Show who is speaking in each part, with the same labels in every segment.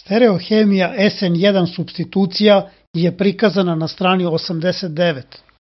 Speaker 1: Stereohemija SN1 supstitucija je prikazana na strani 89.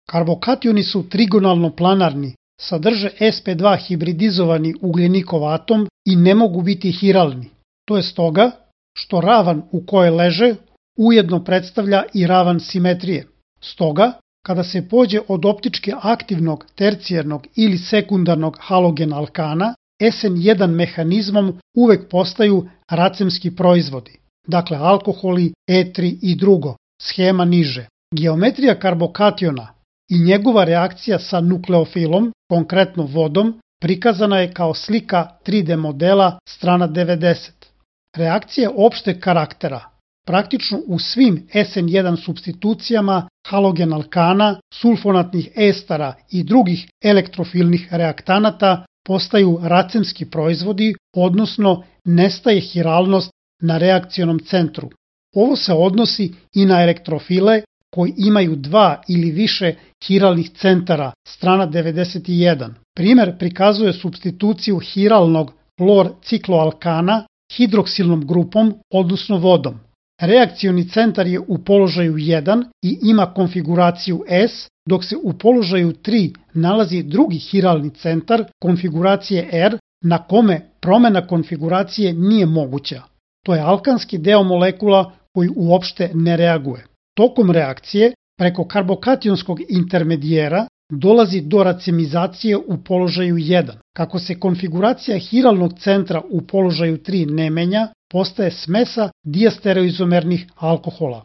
Speaker 1: Karbokationi su trigonalno planarni, sadrže sp2 hibridizovani ugljenikov atom i ne mogu biti hiralni. To je stoga što ravan u kojoj leže ujedno predstavlja i ravan simetrije. Stoga, kada se pođe od optički aktivnog, tercijernog ili sekundarnog halogena alkana, SN1 mehanizmom uvek postaju racemski proizvodi, dakle alkoholi, etri i drugo, schema niže. Geometrija karbokationa i njegova reakcija sa nukleofilom, konkretno vodom, prikazana je kao slika 3D modela strana 90. Reakcija opšteg karaktera. Praktično u svim SN1 supstitucijama halogen alkana, sulfonatnih estara i drugih elektrofilnih reaktanata postaju racemski proizvodi, odnosno nestaje hiralnost na reakcionom centru. Ovo se odnosi i na elektrofile koji imaju 2 ili više hiralnih centara, strana 91. Primer prikazuje supstituciju hiralnog lor-cikloalkana hidroksilnom grupom, odnosno vodom. Reakcioni centar je u položaju 1 i ima konfiguraciju S, dok se u položaju 3 nalazi drugi hiralni centar konfiguracije R na kome promena konfiguracije nije moguća. To je alkanski deo molekula koji uopšte ne reaguje. Tokom reakcije, preko karbokationskog intermedijera, dolazi do racemizacije u položaju 1. Kako se konfiguracija hiralnog centra u položaju 3 ne menja, postaje smesa diastereoizomernih alkohola.